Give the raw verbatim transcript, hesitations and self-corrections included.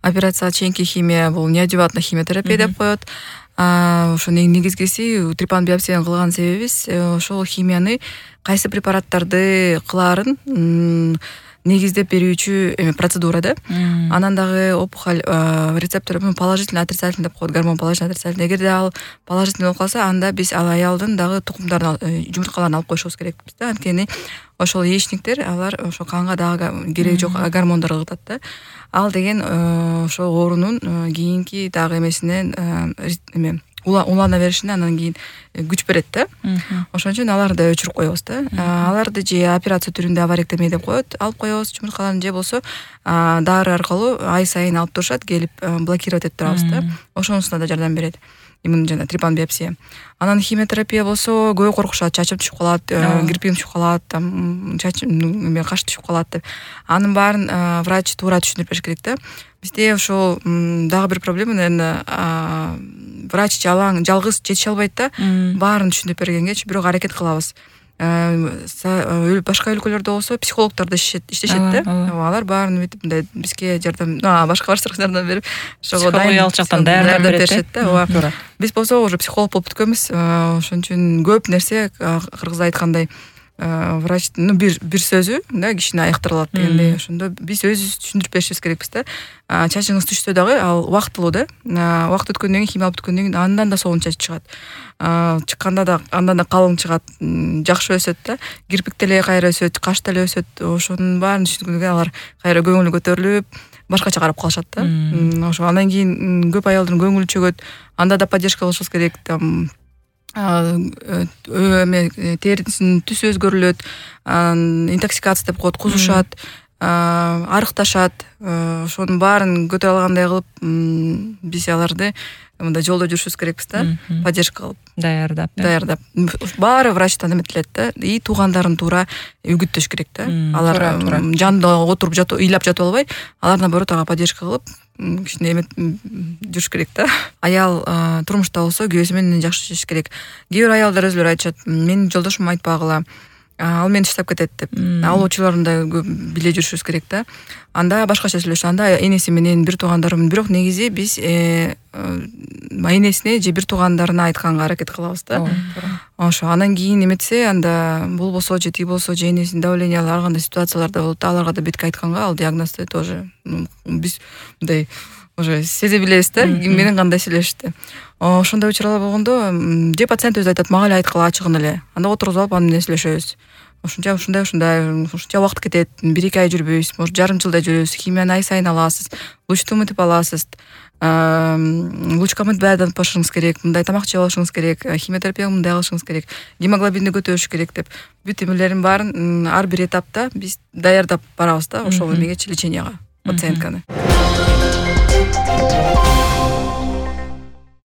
операцияга чейинки химия бул неодеватный химиотерапия деп коет. Ошо негизгиси трипан биопсияны кылган себебибиз ошол химияны кайсы препараттарды кылаарын негиздеп берүүчү эме процедура да. Анан дагы опухоль рецептор положительный отрицательный деп коет, гормон положительный отрицательный. Эгерде ал положительный болуп калса, анда биз ал аялдын дагы тукумдарын, жумурткаларын алып коюшубуз керекпиз да. Анткени ошол яичниктер алар ошо канга дагы кереги жок гормондорду ыргытат да. Ал деген ошо оорунун кийинки дагы эмесинен эме улана беришине анан кийин күч берет да. Ошон үчүн аларды өчүрүп коебуз да. Аларды же операция түрүндө аваректомия деп коет, алып коебуз жумурткаларын, же болсо дары аркылуу ай сайын алып турушат, келип блокировать этип турабыз да. Ошонусуна да жардам берет. Именно жана трипан биопсия. Анан химиотерапия болсо көбү коркушат, чачым түшүп калат, кирпигим түшүп калат, там чачым эме каш түшүп калат деп. Анын баарын врач туура түшүндүрүп бериш керек да. Бизде ошо дагы бир проблема, наверное, врач жалаң жалгыз жетише албайт да. Баарын түшүндүрүп бергенгечи бирок аракет кылабыз. Башка өлкөлөрдө болсо психологдор да иштешет да. Алар баарын бүтүп мындай бизге жардам, башка баштарга жардам берип, ошого дайын жактан даярдап беришет да. Биз болсо уже психолог болуп бүткөнбүз. Ошон үчүн көп нерсе кыргызда айткандай врачтын бир бир сөзү да кишини айыктыра алат дегендей. Ошондо биз өзүбүз түшүндүрүп беришибиз керекпиз да. Чачыңыз түшсө дагы ал убактылуу да. Убакыт өткөндөн кийин, химия алып өткөндөн кийин андан да сонун чач чыгат. Чыкканда да андан да калың чыгат, жакшы өсөт да. Кирпик деле кайра өсөт, каш деле өсөт. Ошонун баарын түшүнгөндө алар кайра көңүлү көтөрүлүп, башкача карап калышат да. Ошо андан кийин көп аялдын көңүлү чөгөт. Анда да поддержка кылышыбыз керек. Там эме терисинин түсү өзгөрүлөт, интоксикация деп коет, кузушат, арыкташат. Ошонун баарын көтөрө алгандай кылып биз аларды мындай жолдо жүрүшүбүз керекпиз да. Поддержка кылып, даярдап. Даярдап. Баары врачтан эметилет да. И туугандарын туура үгүттөш керек да. Алар жанында отуруп жатып, ыйлап жатып албай, алар наоборот ага поддержка кылып, кичине эмет жүрүш керек да. Аял турмушта болсо күйөөсү менен жакшы жашаш керек. Кээ бир аялдар өзүлөрү айтышат, менин жолдошум айтпагыла, ал мени таштап кетет деп. Ал учурларын да биле жүрүшүбүз керек да. Анда башкача сүйлөшөт. Анда энеси менен бир туугандарым, бирок негизи биз энесине же бир туугандарына айтканга аракет кылабыз да. Ошо анан кийин эметсе, анда бул болсо же тиги болсо, же энесинин давлениялары ар кандай ситуацияларда болот, аларга да бетке айтканга ал диагнозду тоже биз мындай уже сезе билебиз да, ким менен кандай сүйлөшүштү. Ошондой учурлар болгондо же пациент өзү айтат, мага эле айткыла ачыгын эле. Анда отургузуп алып анын менен сүйлөшөбүз. Ушунча ушундай ушундай ушунча убакыт кетет, бир эки ай жүрбөйбүз, может жарым жылдай жүрөбүз. Химияны ай сайын аласыз, лучту мытып аласыз. Лучка мытып баарын башыңыз керек, мындай тамак жеп алышыңыз керек, химиотерапияны мындай кылышыңыз керек, гемоглобинди көтөрүш керек деп бүт эмелерин баарын ар бир этапта биз даярдап барабыз да, ошол эмегечи леченияга пациентканы.